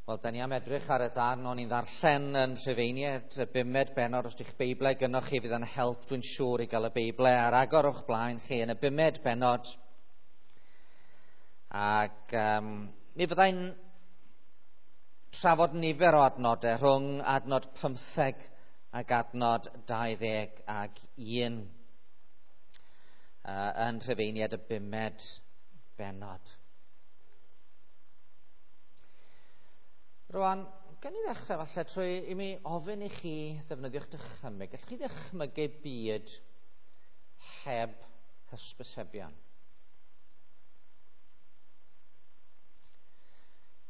Wel, da ni am edrych ar y darn o'n i'n ddarllen yn Rhufeiniaid, y bumed bennod. Os ydych Beiblau gynnwch chi, fydd yn help, dwi'n siŵr, i gael y Beiblau ar agor o'ch blaen chi yn y bumed bennod. Ac mi fyddai'n trafod nifer o adnodau rhwng adnod 15 ac adnod 21 yn Rhufeiniaid y bumed bennod. Rwan, gan i ddechrau falle trwy i mi ofyn i chi ddefnyddio'ch dychymyg. Gallwch chi ddychmygu byd heb hysbysebion?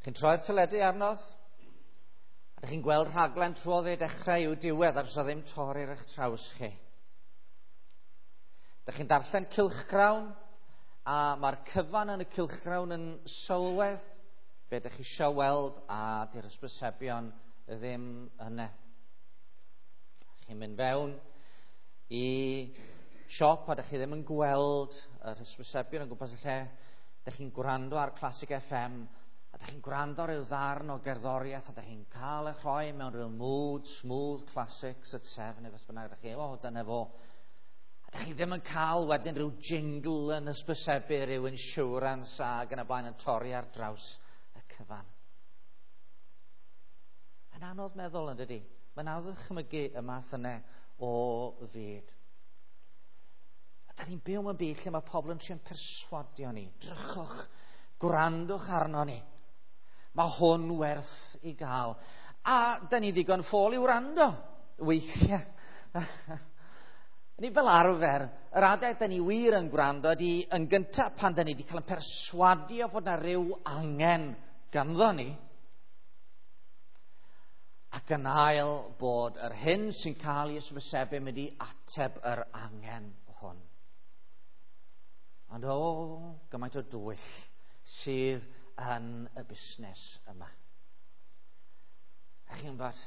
Chi'n troi'r teledu arnodd? A ydych chi'n gweld rhaglen trwodd ei dechrau i'w diwedd a does ddim torri ar eich traws chi. Ydych chi'n darllen cylchgrawn a mae'r cyfan yn y cylchgrawn yn sylwedd be ydych chi eisiau weld a di'r hysbysebion ddim yna. Chi'n mynd fewn i siop a ydych chi ddim yn gweld yr hysbysebion yn gwmpas y lle. Ydych chi'n gwrando ar Classic FM a ydych chi'n gwrando ar ryw ddarn o gerddoriaeth a ydych chi'n cael eich rhoi mewn rhyw mood, smooth classics at 7 neu beth bynnag. Ydych chi, o, dyna fo. A ydych chi ddim yn cael wedyn rhyw jingle yn hysbysebu, rhyw insurance ac yn y blaen yn torri ar draws y cyfan. Mae'n anodd meddwl yn dydi? Mae'n anodd dychmygu y math yna o fyd. A da ni'n byw mewn byd lle mae pobl yn trio perswadio ni. Drychwch, gwrandwch arno ni. Mae hwn werth i gael. A da ni ddigon ffôl i wrando, weithiau. Ni fel arfer, yr adeg da ni wir yn gwrando ydy yn gyntaf pan da ni wedi cael yn perswadio fod na ryw angen ganddo ni, ac yn ail bod yr hyn sy'n cael ei ysbysebu mynd i ateb yr angen hwn. Ond o, gymaint o dwyll sydd yn y busnes yma. A chi'n gwybod,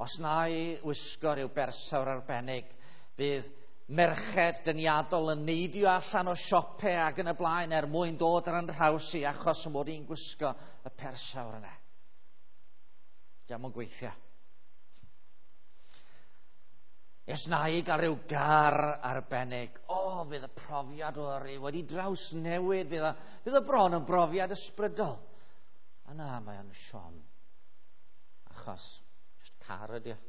os na i wisgo rhyw bersawr arbennig, bydd merched dyniadol yn neidio allan o siopau ac yn y blaen er mwyn dod ar yn rhaws i achos mod i'n gwisgo y persawr yna. Diolch yn gweithio. Os na i gael rhyw gar arbennig, o, fydd y profiad o yrru wedi drawsnewid, fydd y bron yn brofiad ysbrydol. A na, mae o'n siom. Achos, just car ydi o.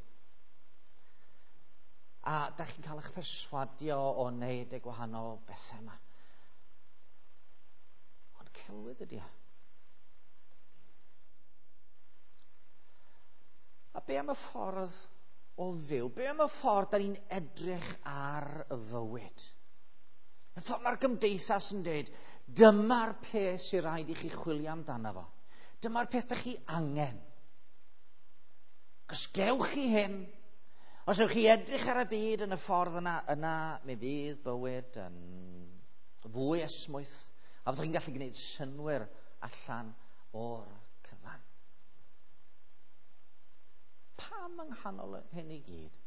A da chi'n cael eich perswadio o wneud y gwahanol bethau yma. Ond celwydd ydi o. A be am y ffordd o fyw? Be am y ffordd da ni'n edrych ar y fywyd? Y ffordd mae'r gymdeithas yn dweud, dyma'r peth sy'n rhaid i chi chwilio amdano fo. Dyma'r peth da chi angen. Os gewch chi hyn, os ewch chi edrych ar y byd yn y ffordd yna, yna mi fydd bywyd yn fwy esmwyth, a fyddwch chi'n gallu gwneud synnwyr allan o'r cyfan. Pam yng nghanol hyn i gyd?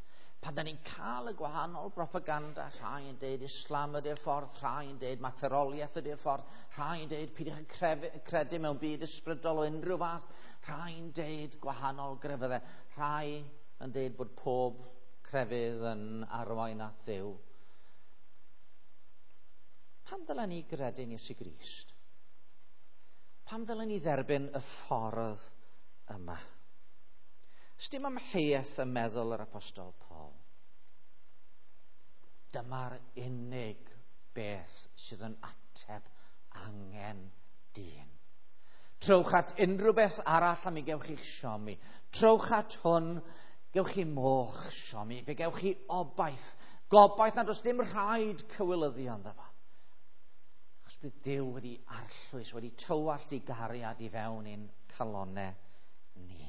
Pan da ni'n cael y gwahanol propaganda, rhai yn deud Islam ydy'r ffordd, rhai yn deud materoliaeth ydy'r ffordd, rhai yn deud peidiwch yn credu mewn byd ysbrydol o unrhyw fath, rhai yn deud gwahanol grefyddau, rhai yn deud bod pob crefydd yn arwain at Dduw. Pam dylen ni gredu'n Iesu Grist? Pam dylen ni dderbyn y ffordd yma? Sdim amheuaeth ym meddwl yr Apostol Paul. Dyma'r unig beth sydd yn ateb angen dyn. Trowch at unrhyw beth arall a mi gewch chi'ch siomi. Trowch at hwn, gewch chi moch siomi, fe gewch chi obaith. Gobaith nad oes dim rhaid cywilyddio ynddo fo. Achos bydd Duw wedi arllwys, wedi tywallt ei gariad i fewn i'n calonnau ni.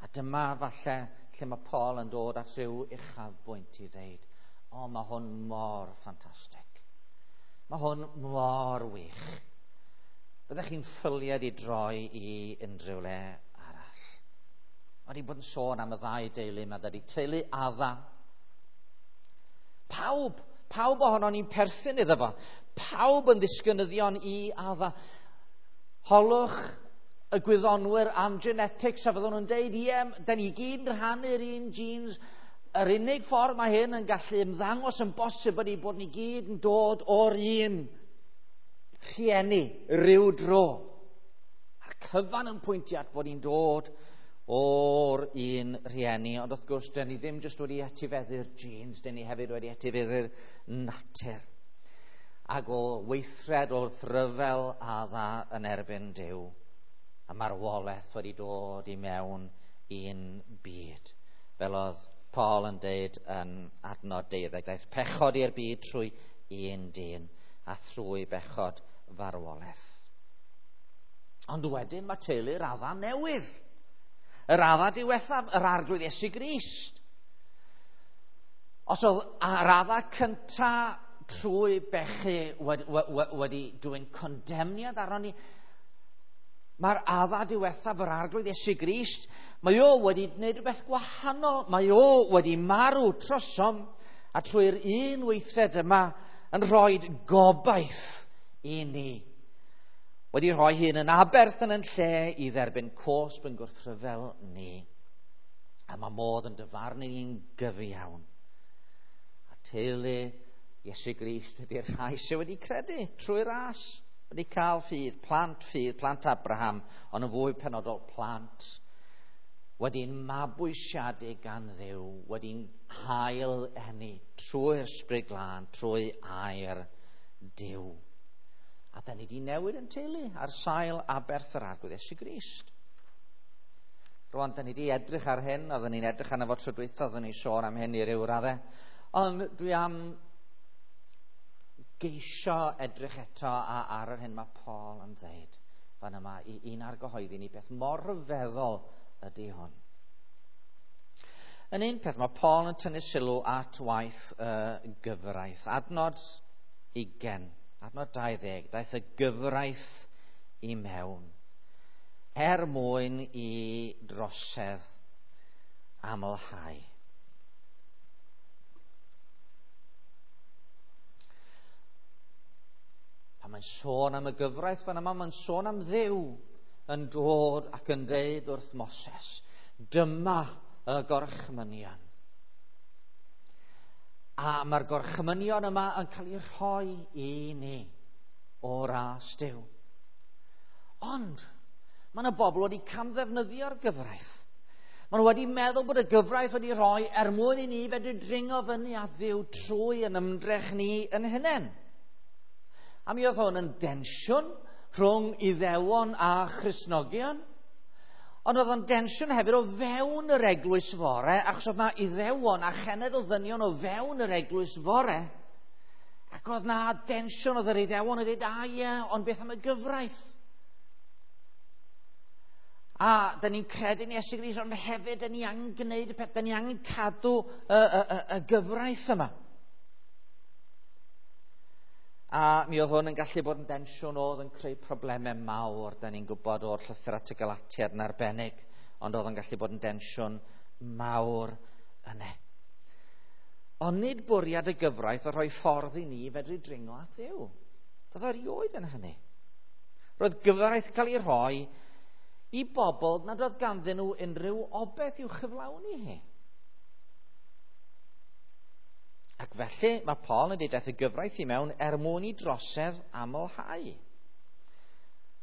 A dyma falle lle mae Paul yn dod at rhyw uchafbwynt i ddeud, o, mae hwn mor ffantastig. Mae hwn mor wych. Byddech chi'n ffyliad i droi i unrhyw le arall. Mae wedi bod yn sôn am y ddau deulu yma, dydy teulu Adda. Pawb Pawb ohono ni'n perthyn iddo fo. Pawb yn ddisgynyddion i Adda. Holwch y gwyddonwyr am genetics a fyddwn nhw'n deud, ie, da ni gyd yn rhannu'r un genes. Yr unig ffordd mae hyn yn gallu ymddangos yn bosib ydy bod ni gyd yn dod o'r un rhieni ryw dro. A'r cyfan yn pwyntio at bod ni'n dod o'r un rhieni. Ond wrth gwrs, dyn ni ddim jyst wedi etifeddu'r genes, dyn ni hefyd wedi etifeddu'r natur. Ac o weithred wrth ryfel Adda yn erbyn Duw, a marwolaeth wedi dod i mewn i'n byd. Fel oedd Paul yn deud yn adnod 12, daeth pechod i'r byd trwy un dyn, a thrwy bechod farwolaeth. Ond wedyn mae teulu'r Adda newydd. Yr Adda diwethaf, yr Arglwydd Iesu Grist. Os oedd yr Adda cynta trwy bechu wedi dwyn condemniad arno ni, mae'r Adda diwethaf, yr Arglwydd Iesu Grist, mae o wedi gwneud rhywbeth gwahanol. Mae o wedi marw trosom, a trwy'r un weithred yma yn rhoi gobaith i ni. Wedi rhoi hun yn aberth yn lle i dderbyn cosb yn gwrthryfel ni. A mae modd yn dyfarnu ni'n gyfiawn. A teulu Iesu Grist ydy'r rhai sydd wedi credu trwy ras, wedi cael ffydd, plant Abraham, ond yn fwy penodol plant wedi'n mabwysiadu gan Dduw, wedi'n hail eni trwy'r Ysbryd Glân, trwy air Duw. A da ni wedi newid yn teulu ar sail aberth yr Arglwydd Iesu Grist. Rwan, da ni wedi edrych ar hyn, oedden ni'n edrych arno fo tro dwytha, oedden ni'n sôn am hyn i ryw raddau. Ond dwi am geisio edrych eto ar yr hyn mae Paul yn dweud fan yma i un argyhoeddi ni beth mor rhyfeddol ydy hwn. Yn un peth, mae Paul yn tynnu sylw at waith y gyfraith. Adnod 20, adnod 20, daeth y gyfraith i mewn er mwyn i drosedd amlhau. Pan mae'n sôn am y gyfraith fan yma, mae'n sôn am Dduw yn dod ac yn deud wrth Moses, dyma y gorchmynion. A mae'r gorchmynion yma yn cael eu rhoi i ni o ras Duw. Ond mae yna bobl wedi camddefnyddio'r gyfraith. Maen nhw wedi meddwl bod y gyfraith wedi rhoi er mwyn i ni fedru dringo fyny at Dduw trwy yn ymdrech ni yn hunain. A mi oedd hwn yn densiwn rhwng Iddewon a Christnogion. Ond oedd o'n densiwn hefyd o fewn yr eglwys fore, achos oedd na Iddewon a chenedl ddynion o fewn yr eglwys fore. Ac oedd na densiwn, oedd yr Iddewon yn dweud, a ie, ond beth am y gyfraith? A da ni'n credu yn Iesu Grist, ond hefyd da ni angen gwneud y peth, da ni angen cadw y gyfraith yma. A mi oedd hwn yn gallu bod yn densiwn oedd yn creu problemau mawr, da ni'n gwybod o'r llythyr at y Galatiaid yn arbennig, ond oedd yn gallu bod yn densiwn mawr yna. Ond nid bwriad y gyfraith o rhoi ffordd i ni fedru dringo at Dduw. Doedd o erioed yn hynny. Roedd gyfraith cael ei rhoi i bobl nad oedd ganddyn nhw unrhyw obaith i'w chyflawni hi. Ac felly mae Paul yn dweud daeth y gyfraith i mewn er mwyn i drosedd amlhau.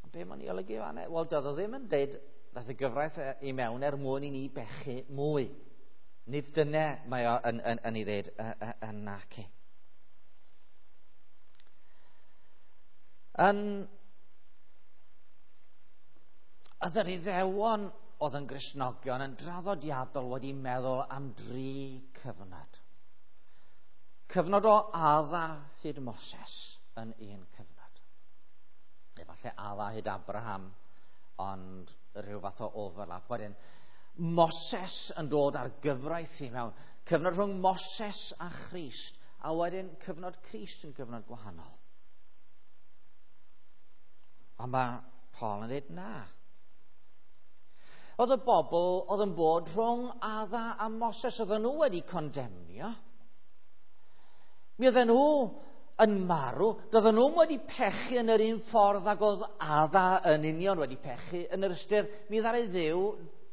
Ond be mae'n ei olygu fan'na? Wel, doedd o ddim yn dweud daeth y gyfraith i mewn er mwyn i ni bechu mwy. Nid dyna mae o yn ei ddeud yn naci. Yn oedd yr Iddewon oedd yn Gristnogion yn draddodiadol wedi meddwl am dri cyfnod. Cyfnod o Adda hyd Moses yn un cyfnod. Efallai Adda hyd Abraham, ond rhyw fath o overlap. Wedyn, Moses yn dod ar gyfraith i mewn. Cyfnod rhwng Moses a Christ, a wedyn cyfnod Christ yn gyfnod gwahanol. Ond mae Paul yn dweud na. Oedd y bobl oedd yn bod rhwng Adda a Moses, oedden nhw wedi condemnio. Mi oedden nhw yn marw, doedden nhw'n wedi pechu yn yr un ffordd ag oedd Adda yn union wedi pechu, yn yr ystyr, mi ddaru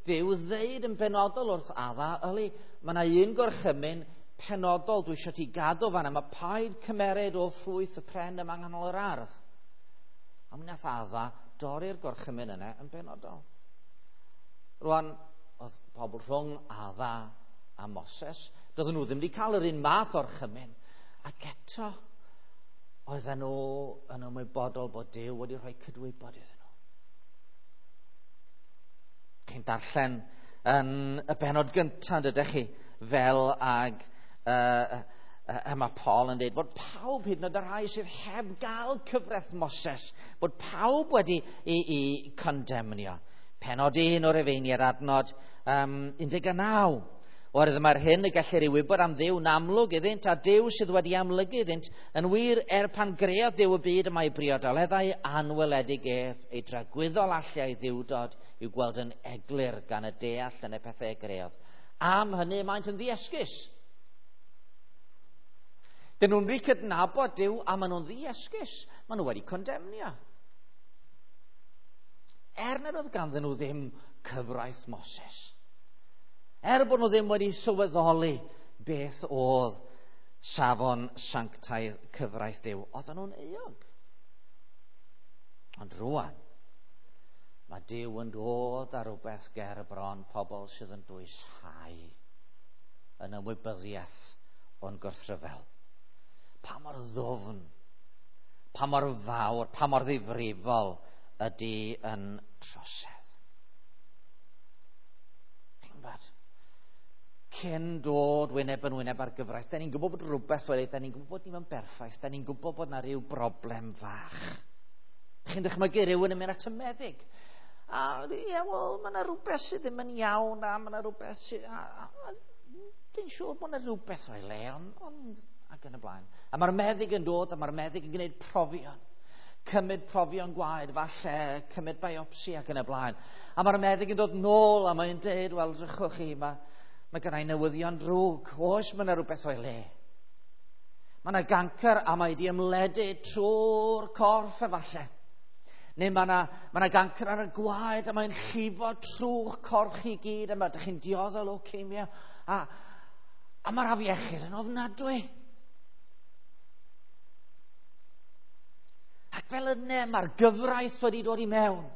Duw ddeud yn benodol wrth Adda, yli, mae yna un gorchymyn penodol dwi eisiau ti gadw fanna, mae paid cymered o ffrwyth y pren yma nghanol yr ardd. A mi nath Adda dorri'r gorchymyn yna yn benodol. Rwan, oedd pobl rhwng Adda a Moses, doedden nhw ddim wedi cael yr un math o'r chymyn, ac eto, oedden nhw yn ymwybodol bod Duw wedi rhoi cydwybod iddyn nhw. Chi'n darllen yn y bennod gyntaf, dydych chi, fel ag mae Paul yn dweud bod pawb, hyd yn oed y rhai sydd heb gael cyfraith Moses, bod pawb wedi i condemnio. Pennod 1 o'r Rhufeiniaid, adnod 19. Oherwydd mae'r hyn y gellir ei wybod am Dduw'n amlwg iddynt, a Duw sydd wedi amlygu iddynt, yn wir er pan greodd Duw y byd y mae briodoleddau anweledig ef, ei dragwyddol allu a'i ddiwdod i'w gweld yn eglur gan y deall yn y pethau y greodd. Am hynny maent yn ddiesgus. Dyn nhw'n rhy cydnabod Duw a maen nhw'n ddiesgus. Maen nhw wedi condemnio. Er nad oedd ganddyn nhw ddim cyfraith Moses. Er bod nhw ddim wedi sylweddoli beth oedd safon sanctaidd cyfraith Duw, oedden nhw'n euog. Ond rwan, mae Duw yn dod ar rhywbeth ger y bron pobl sydd yn dwyshau yn ymwybyddiaeth o'n gwrthryfel. Pa mor ddwfn, pa mor fawr, pa mor ddifrifol ydy yn trosedd. Chi'n gwybod? Cyn dod wyneb yn wyneb ar gyfraith, da ni'n gwybod bod rhywbeth wedi, da ni'n gwybod bod ni'n berffaith, da ni'n gwybod bod na rhyw broblem fach. Chi'n dychmygu rhywun yn mynd at y meddyg. A ie, wel, mae yna rhywbeth sydd ddim yn iawn, a mae yna rhywbeth sydd... Dwi'n siŵr bod yna rhywbeth o'i le, ond ac yn y blaen. A mae'r meddyg yn dod, a mae'r meddyg yn gwneud profion. Cymryd profion gwaed, falle, cymryd biopsi ac yn y blaen. A mae'r meddyg yn dod nôl, a mae'n dweud, wel, drychwch chi, mae gennau newyddion drwg. Oes, mae yna rhywbeth o'i le. Mae yna gancr a mae wedi ymledu trwy'r corff efallai. Neu mae yna gancr ar y gwaed a mae'n llifo trwy'ch corff chi gyd a ydych chi'n dioddef leukaemia. A mae'r afiechyd yn ofnadwy. Ac fel yna mae'r gyfraith wedi dod i mewn.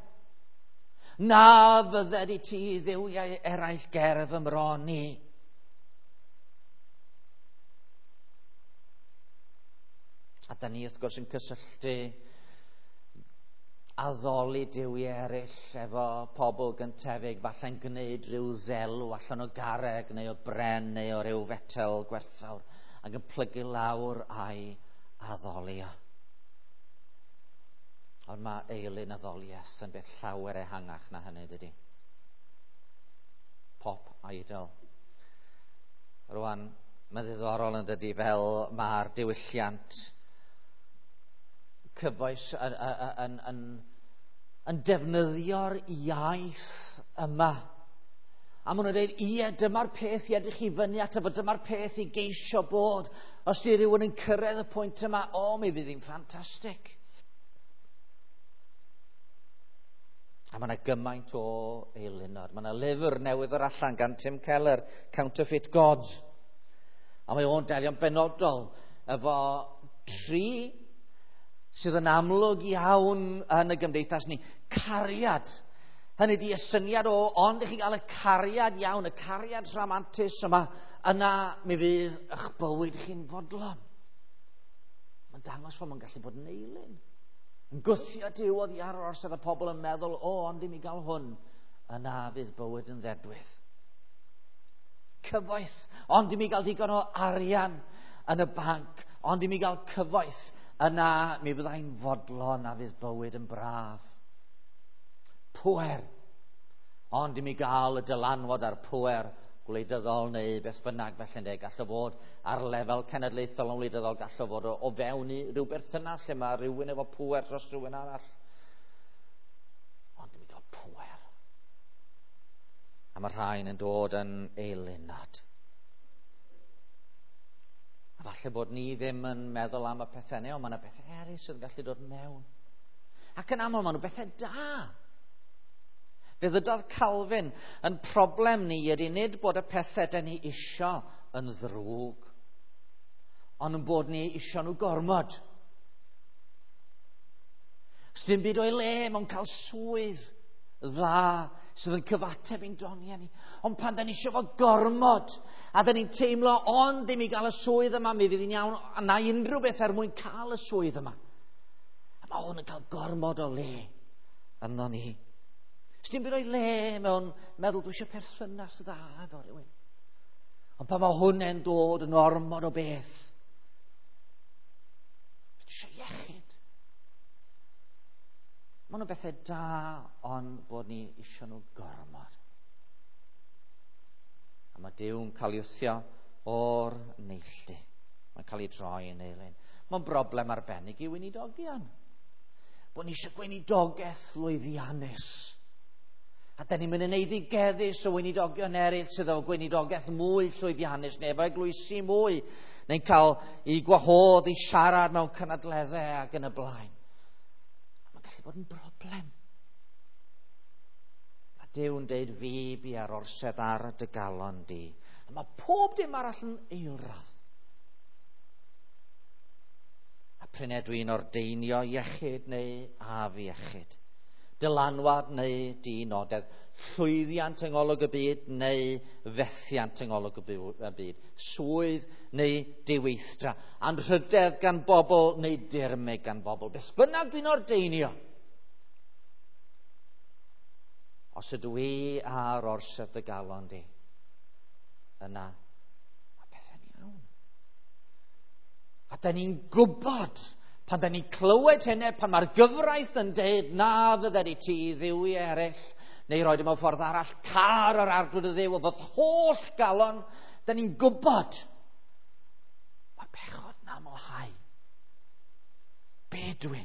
Na fydded i ti dduwiau eraill ger fy mron i. A da ni wrth gwrs yn cysylltu addoli duwiau eraill efo pobl gyntefig, falle'n gwneud rhyw ddelw allan o garreg neu o bren neu o ryw fetel gwerthfawr ac yn plygu lawr a'i addoli o. Ond mae eilun addoliaeth yn beth llawer ehangach na hynny, dydy. Pop idol. Rwan, mae ddiddorol yn dydy fel mae'r diwylliant cyfoes yn defnyddio'r iaith yma. A maen nhw'n dweud, ie, dyma'r peth i edrych i fyny ato fo, dyma'r peth i geisio bod. Os di rhywun yn cyrraedd y pwynt yma, o, mi fydd hi'n ffantastig. A mae yna gymaint o eilunod. Mae yna lyfr newydd o'r allan gan Tim Keller, Counterfeit Gods. A mae o'n delio'n benodol efo tri sydd yn amlwg iawn yn y gymdeithas ni. Cariad. Hynny ydi y syniad o, ond i chi gael y cariad iawn, y cariad rhamantus yma, yna mi fydd eich bywyd chi'n fodlon. Mae'n dangos fod mae'n gallu bod yn eilun. Yn gwthio Duw oddi ar yr orsedd y pobl yn meddwl, o, ond i mi gael hwn, yna fydd bywyd yn ddedwydd. Cyfoeth, ond i mi gael digon o arian yn y banc, ond i mi gael cyfoeth, yna mi fyddai'n fodlon a fydd bywyd yn braf. Pŵer, ond i mi gael y dylanwad a'r pŵer gwleidyddol neu beth bynnag felly ynde, gall o fod ar lefel cenedlaethol yn wleidyddol, gall o fod o fewn i ryw berthynas lle mae rhywun efo pŵer dros rhywun arall. Ond i mi gael pŵer. A mae rhain yn dod yn eilunod. A falle bod ni ddim yn meddwl am y pethau yna, ond mae yna bethau eraill sydd yn gallu dod mewn. Ac yn aml, maen nhw bethau da. Fe ddydodd Calvin, yn problem ni ydy nid bod y pethau da ni isio yn ddrwg, ond yn bod ni isio nhw gormod. Sdim byd o'i le mewn cael swydd dda sydd yn cyfateb i'n doniau ni. Ond pan da ni eisiau fo gormod, a da ni'n teimlo ond ddim i gael y swydd yma, mi fydd hi'n iawn, a na unrhyw beth er mwyn cael y swydd yma. A mae hwn yn cael gormod o le ynddo ni. Sdim byd o'i le mewn meddwl dwi eisiau perthynas dda efo rhywun. Ond pan mae hwnna'n dod yn ormod o beth, dwi eisiau iechyd. Maen nhw'n bethau da, ond bod ni eisiau nhw gormod. A mae Duw'n cael ei wthio o'r neilltu. Mae'n cael ei droi yn eilun. Mae'n broblem arbennig i weinidogion. Bod ni eisiau gweinidogaeth lwyddiannus. A da ni'n mynd yn eiddigeddus o weinidogion eraill sydd efo gweinidogaeth mwy llwyddiannus neu efo eglwysi mwy, neu'n cael ei gwahodd i siarad mewn cynadleddau ac yn y blaen. A mae'n gallu bod yn broblem. A Duw'n deud, fi bu ar orsedd ar dy galon di. A mae pob dim arall yn eilradd. A prin dwi'n ordeinio iechyd neu afiechyd, dylanwad neu dinodedd, llwyddiant yng ngolwg y byd neu fethiant yng ngolwg y byd, swydd neu diweithdra, anrhydedd gan bobl neu dirmyg gan bobl. Beth bynnag dwi'n ordeinio, os ydw i ar orsedd dy galon di, yna mae pethau'n iawn. A da ni'n gwybod, pan da ni'n clywed hynny, pan mae'r gyfraith yn deud na fydde ti dduwiau eraill, neu roed mewn ffordd arall, car yr arglwydd y Dduw o fod holl galon, da ni'n gwybod mae bechod yn amlhau. Be dwi?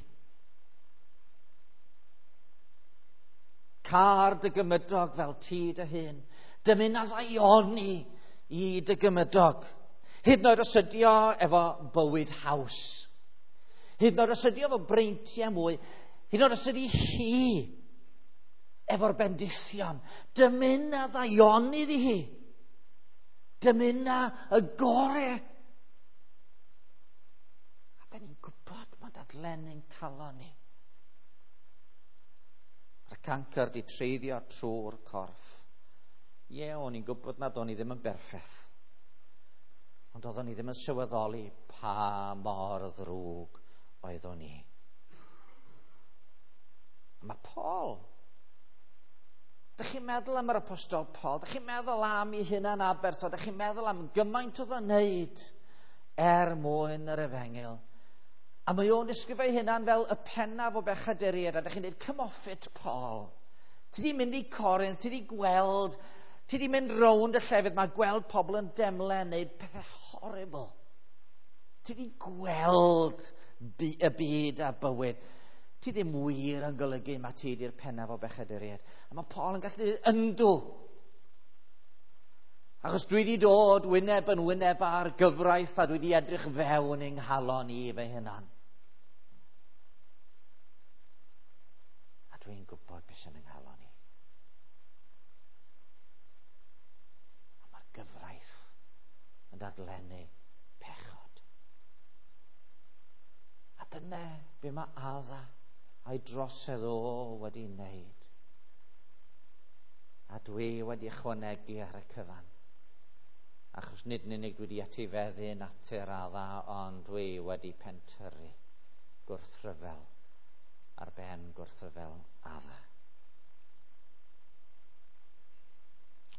Car dy gymydog fel ti dy hun. Dymuna ddaioni i dy gymydog. Hyd yn oed os ydi o efo bywyd haws. Hyd yn oed os ydi o efo breintiau mwy. Hyd yn oed os ydi hi efo'r bendithion. Dymuna ddaioni iddi hi. Dymuna y gore. A da ni'n gwybod mae dadlennu'n calon ni. Mae'r cancr di treiddio trwy'r corff. Ie, o'n i'n gwybod nad o'n i ddim yn berffaith. Ond oeddwn i ddim yn sylweddoli pa mor ddrwg oeddwn i. A mae Paul. Dych chi'n meddwl am yr apostol Paul? Dych chi'n meddwl am ei hunan aberth o? Dych chi'n meddwl am gymaint oedd o'n wneud er mwyn yr efengyl? A mae o'n disgrifio ei hunan fel y pennaf o bechaduriaid. A dych chi'n dweud, come off it, Paul. Ti di mynd i Corinth, ti di gweld, ti di mynd rownd y llefydd, mae gweld pobl yn demle yn neud pethau horrible. Ti di gweld y byd a bywyd. Ti ddim wir yn golygu mae ti di'r pennaf o bechaduriaid. A mae Paul yn gallu dweud, yndw. Achos dwi wedi dod wyneb yn wyneb ar gyfraith a dwi wedi edrych fewn yng nghalon i fy hunan. A dwi'n gwybod beth sy'n yng nghalon i. A mae'r gyfraith yn dadlennu pechod. A dyna be mae Adda a'i drosedd o wedi wneud. A dwi wedi ychwanegu ar y cyfan. Achos nid yn unig dwi wedi etifeddu natur Adda, ond dwi wedi pentyrru gwrthryfel ar ben gwrthryfel Adda.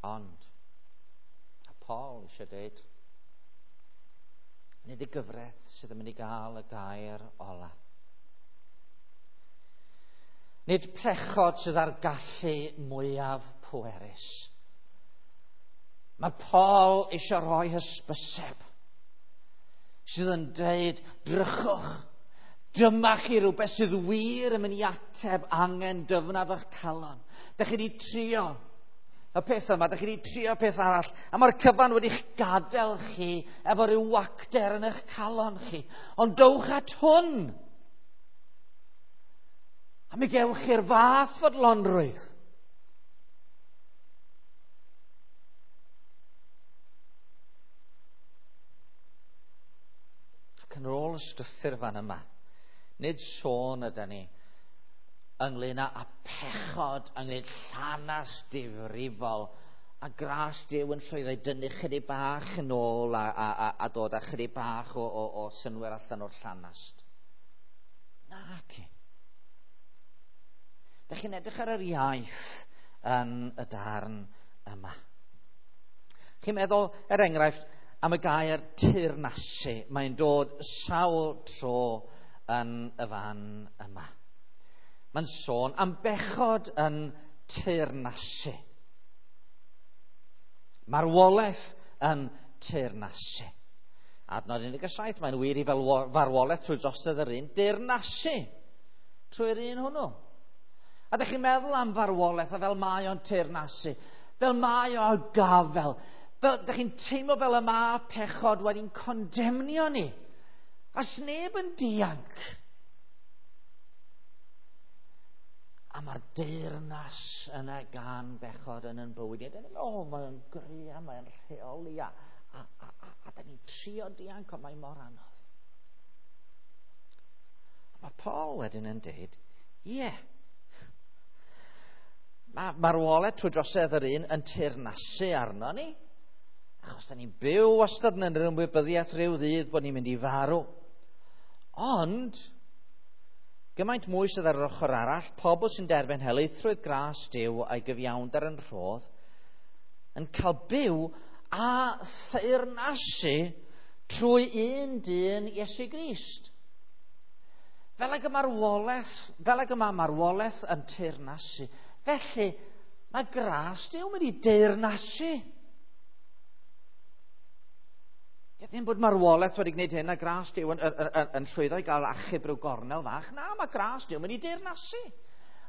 Ond, a Paul eisiau dweud, nid y gyfraith sydd yn mynd i gael y gair ola. Nid pechod sydd â'r gallu mwyaf pwerus. Mae Paul eisiau rhoi hysbyseb sydd yn dweud, drychwch, dyma chi rhywbeth sydd wir yn mynd i ateb angen dyfnaf eich calon. Dych chi wedi trio y peth yma, dych chi wedi trio peth arall, a mae'r cyfan wedi'ch gadael chi efo rhyw wacter yn eich calon chi. Ond dowch at hwn. A mi gewch chi'r fath fodlonrwydd. Ac yn ôl y strwythur fan yma, nid sôn ydy ni ynglyn â pechod, ynglyn llanas difrifol, a gras Duw yn llwyddo i dynnu chydig bach yn ôl a, a, a, a dod â chydig bach o, o, o synwyr allan o'r llanast. Naci. Dych chi'n edrych ar yr iaith yn y darn yma. Chi'n meddwl, er enghraifft, am y gair teyrnasu. Mae'n dod sawl tro yn y fan yma. Mae'n sôn am bechod yn teyrnasu. Marwolaeth yn teyrnasu. Adnod 17, mae'n wir i fel farwolaeth trwy drosedd yr un, deyrnasu trwy'r un hwnnw. A ydych chi'n meddwl am farwolaeth a fel mae o'n teyrnasu, fel mae o gafel, fel ydych chi'n teimlo fel y mae pechod wedi'n condemnio ni. A sneb yn dianc. A mae'r deyrnas yna gan bechod yn yn bywyd. A dyn o, mae'n gry a mae'n rheoli a, a, a, a, a da ni'n trio dianc, ond mae mor anodd. A mae Paul wedyn yn deud, ie, yeah, mae marwolaeth trwy drosedd yr un yn teyrnasu arno ni. Achos da ni'n byw wastad yn yr ymwybyddiaeth rhyw ddydd bod ni'n mynd i farw. Ond, gymaint mwy sydd ar yr ochr arall, pobl sy'n derbyn helaethrwydd gras Duw a'i gyfiawnder yn rhodd, yn cael byw a theyrnasu trwy un dyn Iesu Grist. Fel ag y marwolaeth, fel ag y mae marwolaeth yn teyrnasu, felly mae gras Duw mynd i deyrnasu. Ie, ddim bod marwolaeth wedi gwneud hyn a gras Duw yn, yn, yn, yn llwyddo i gael achub rhyw gornel fach. Na, mae gras Duw mynd i deyrnasu.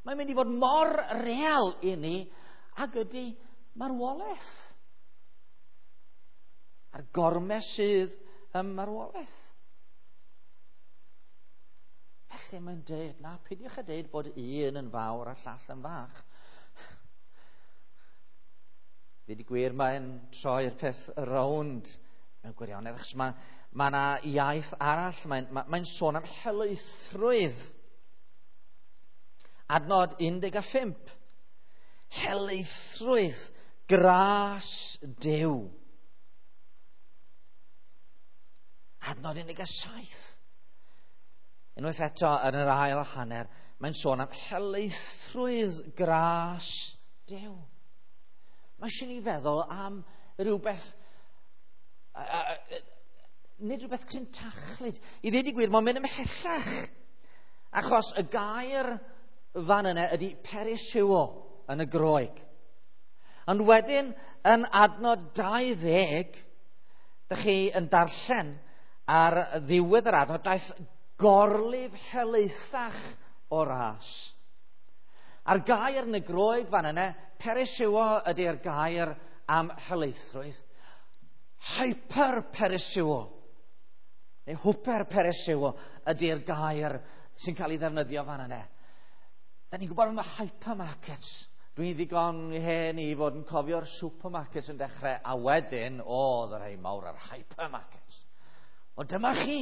Mae'n mynd i fod mor real i ni ag ydy marwolaeth. A'r gormes sydd ym marwolaeth. Felly mae'n dweud, na, peidiwch â dweud bod un yn fawr a llall yn fach. Dweud i gwir, mae'n troi'r peth rownd mewn gwirionedd, achos mae mae yna iaith arall, mae'n mae, mae sôn am helaethrwydd. Adnod 15. Helaethrwydd, gras Duw. Adnod 17. Unwaith eto, yn yr ail hanner, mae'n sôn am helaethrwydd gras Duw. Mae eisiau ni feddwl am rhywbeth nid rhywbeth crintachlyd. I ddweud i gwir, mae'n mynd ymhellach. Achos y gair fan yna ydy perisiwo yn y Groeg. Ond wedyn, yn adnod 20, dych chi yn darllen ar ddiwedd yr adnod, daeth gorlif helaethach o ras. A'r gair yn y Groeg fan yna, perisiwo ydy'r gair am helaethrwydd. Hyper-perisiwo, neu hwper-perisiwo ydy'r gair sy'n cael ei ddefnyddio fan yna. Da ni'n gwybod am y hypermarkets. Dwi'n ddigon hen i fod yn cofio'r supermarkets yn dechrau, a wedyn, oedd y rhai mawr ar hypermarkets. O dyma chi,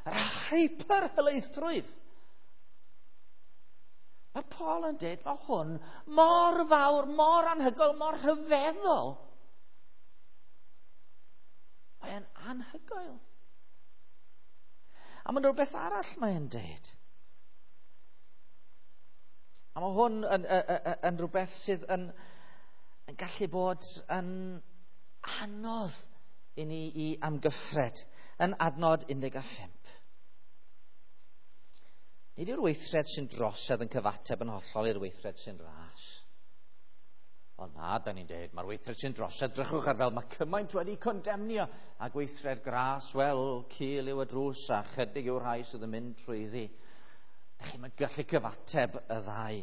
yr hyper-helaethrwydd. Mae Paul yn dweud, mae hwn mor fawr, mor anhygoel, mor rhyfeddol. Mae'n anhygoel. A mae'n rhywbeth arall mae'n dweud. A mae hwn yn, yn, yn, yn rhywbeth sydd yn, yn gallu bod yn anodd i ni i amgyffred yn adnod 15. Nid yw'r weithred sy'n drosedd yn cyfateb yn hollol i'r weithred sy'n ras. O na, da ni'n dweud, mae'r weithred sy'n drosedd, drychwch ar fel mae cymaint wedi condemnio. A gweithred gras, wel, cul yw y drws a chydig yw'r rhai sydd yn mynd trwyddi. Da chi'n gallu cyfateb y ddau.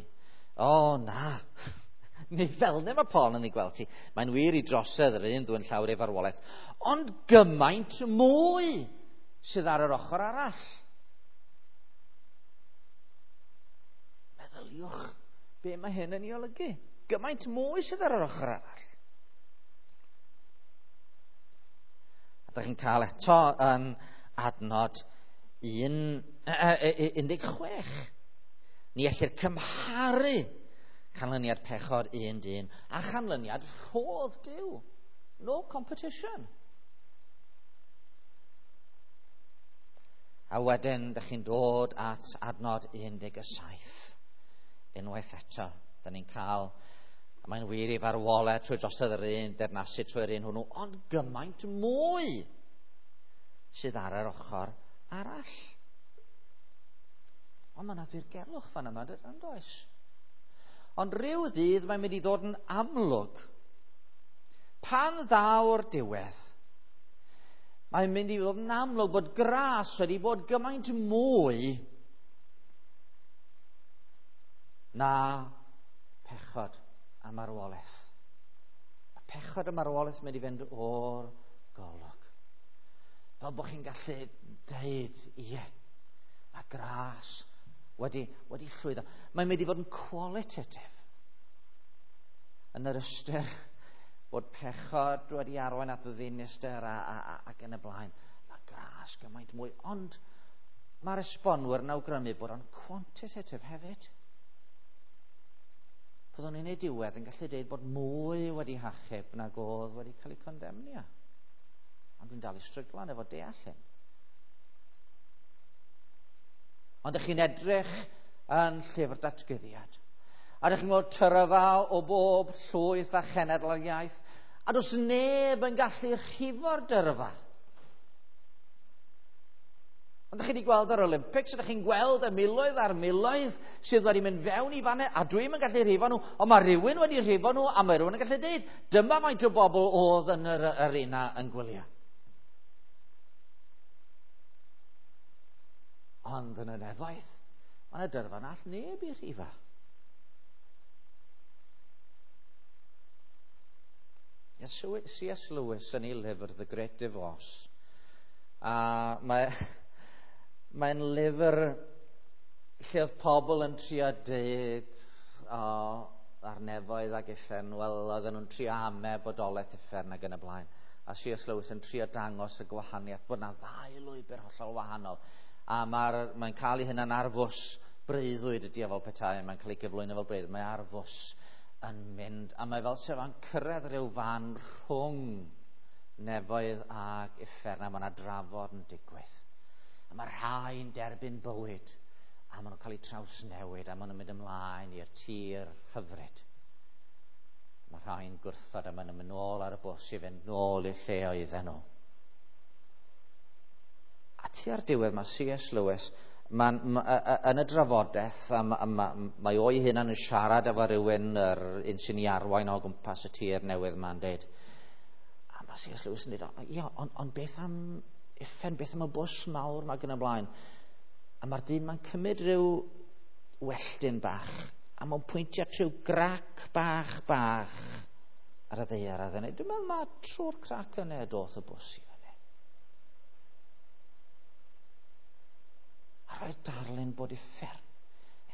O na, Neu fel yna mae Paul yn ei gweld ti. Mae'n wir i drosedd yr un ddwy'n llawr ei farwolaeth. Ond gymaint mwy sydd ar yr ochr arall. Meddyliwch be mae hyn yn ei olygu. Gymaint mwy sydd ar yr ochr arall. A dych chi'n cael eto yn adnod 16. Ni ellir cymharu canlyniad pechod un dyn a chanlyniad rhodd Duw. No competition. A wedyn, dych chi'n dod at adnod 17. Unwaith eto, da ni'n cael, a mae'n wir i farwolaeth trwy drosodd yr un, dernasu trwy'r un hwnnw, ond gymaint mwy sydd ar yr ochr arall. Ond mae yna ddirgelwch fan yma, yn does? Ond rhyw ddydd mae'n mynd i ddod yn amlwg. Pan ddaw'r diwedd, mae'n mynd i ddod yn amlwg bod gras wedi bod gymaint mwy na pechod a marwolaeth. A pechod a marwolaeth mynd i fynd o'r golwg. Fel bod chi'n gallu deud, ie, mae gras wedi llwyddo. Mae'n mynd i fod yn qualitative. Yn yr ystyr bod pechod wedi arwain at ddinister ac yn y blaen. Mae gras gymaint mwy. Ond mae'r esbonwyr yn awgrymu bod o'n quantitative hefyd. Byddwn ni'n ei diwedd yn gallu deud bod mwy wedi hachub nag oedd wedi cael ei condemnio. Ond dwi'n dal i stryglan efo deall hyn. Ond ydych chi'n edrych yn llyfr datguddiad. A ydych chi'n gweld tyrfa o bob llwyth a chenedl a'r iaith. A does neb yn gallu rhifo'r dyrfa. Ond ydych chi wedi gweld yr Olympics, ydych chi'n gweld y miloedd a'r miloedd sydd wedi mynd fewn i fanne, a dwi'm yn gallu rhifo nhw, ond mae rhywun wedi rhifo nhw, a mae rhywun yn gallu deud, dyma faint o bobl oedd yn yr arena yn gwylio. Ond yn y nefoedd, mae yna dyrfa na all neb i rhifa. C.S. Lewis yn ei lyfr The Great Divorce. A mae'n lyfr lle oedd pobl yn trio deud ar nefoedd ac uffern, wel, oedden nhw'n trio ame bodolaeth uffern ac yn y blaen. A C.S. Lewis yn trio dangos y gwahaniaeth bod yna ddau lwybr hollol wahanol. A mae'n cael ei hunan ar fws breuddwyd ydi o fel petai, mae'n cael ei gyflwyno fel breuddwyd, mae ar fws yn mynd, a mae fel sef yn cyrraedd rhyw fan rhwng nefoedd ac uffern, a mae yna drafod yn digwydd. A mae rhai'n derbyn bywyd, a maen nhw'n cael eu trawsnewid, a maen nhw'n mynd ymlaen i'r tir hyfryd. Mae rhai'n gwrthod, a maen nhw'n mynd nôl ar y bws i fynd nôl i'r lle oedden nhw. A tua'r diwedd mae C.S. Lewis yn y drafodaeth, a mae o'i hunan yn siarad efo rhywun, yr un sy'n ei arwain o gwmpas y tir newydd ma'n deud. A mae C.S. Lewis yn deud, ia, ond beth am uffern, beth am y bws mawr mae gen y blaen? A mae'r dyn ma'n cymryd rhyw welltyn bach, a mae'n pwyntio at rhyw grac bach ar y ddaear. A dwi'n meddwl mae trwy'r crac yna doth y bws i fyny. A roedd darlun bod uffern.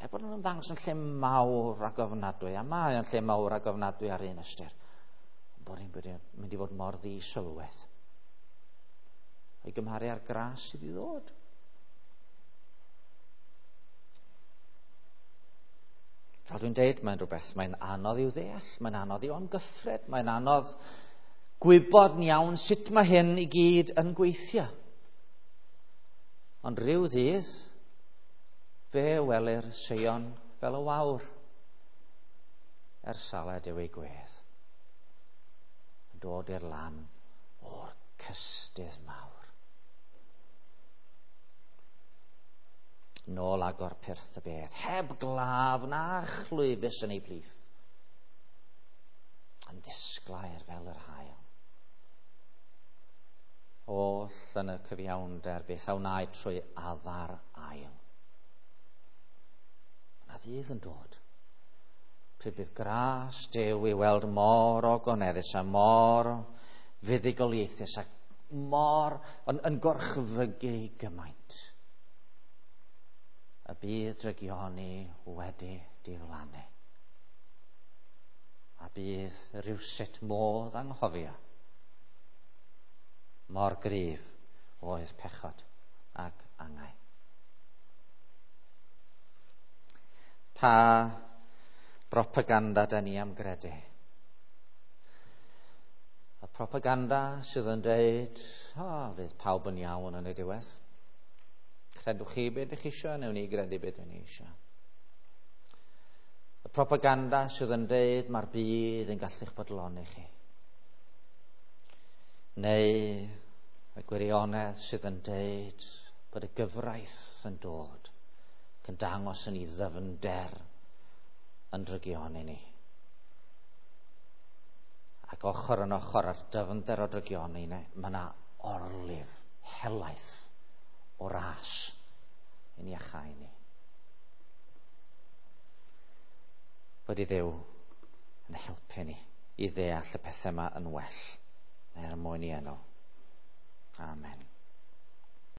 Er bod yn ymddangos yn lle mawr ac ofnadwy, a mae yn lle mawr ac ofnadwy ar un ystyr, ond bod hi'n mynd i fod mor ddisylwedd. O'i gymharu â'r gras sydd i ddod. Fel dwi'n deud, mae'n rhywbeth, mae'n anodd i'w ddeall, mae'n anodd i'w amgyffred, mae'n anodd gwybod yn iawn sut mae hyn i gyd yn gweithio. Ond rhyw ddydd, fe welir Seion fel y wawr, er salad yw ei gwedd, yn dod i'r lan o'r cystudd mawr. Nôl agor pyrth y bedd, heb glaf na chlwyfus yn ei plith, yn ddisglair fel yr haul. Oll yn y cyfiawnder beth a wnaed trwy addar ail. Yna ddydd yn dod. Pryd bydd gras Duw i weld mor ogoneddus a mor fuddugoliaethus ac mor yn gorchfygu gymaint. Y bydd drygioni wedi diflannu. A bydd rhywsut modd anghofio mor gryf oedd pechod ac angau. Pa propaganda da ni am gredu? Y propaganda sydd yn dweud, fydd pawb yn iawn yn y diwedd. Credwch chi beth ydych chi eisiau, newn ni gredu beth ydych ni eisiau. Y propaganda sydd yn dweud mae'r byd yn gallu'ch bodloni chi. Neu y gwirionedd sydd yn dweud bod y gyfraith yn dod ac yn dangos yn ei ddyfnder yn drygioni ni. Ac ochr yn ochr â'r dyfnder o drygioni, mae yna orlif helaeth o ras i ni achau ni. Bod i Dduw yn helpu ni i ddeall y pethau yma yn well, er mwyn i enw. Amen.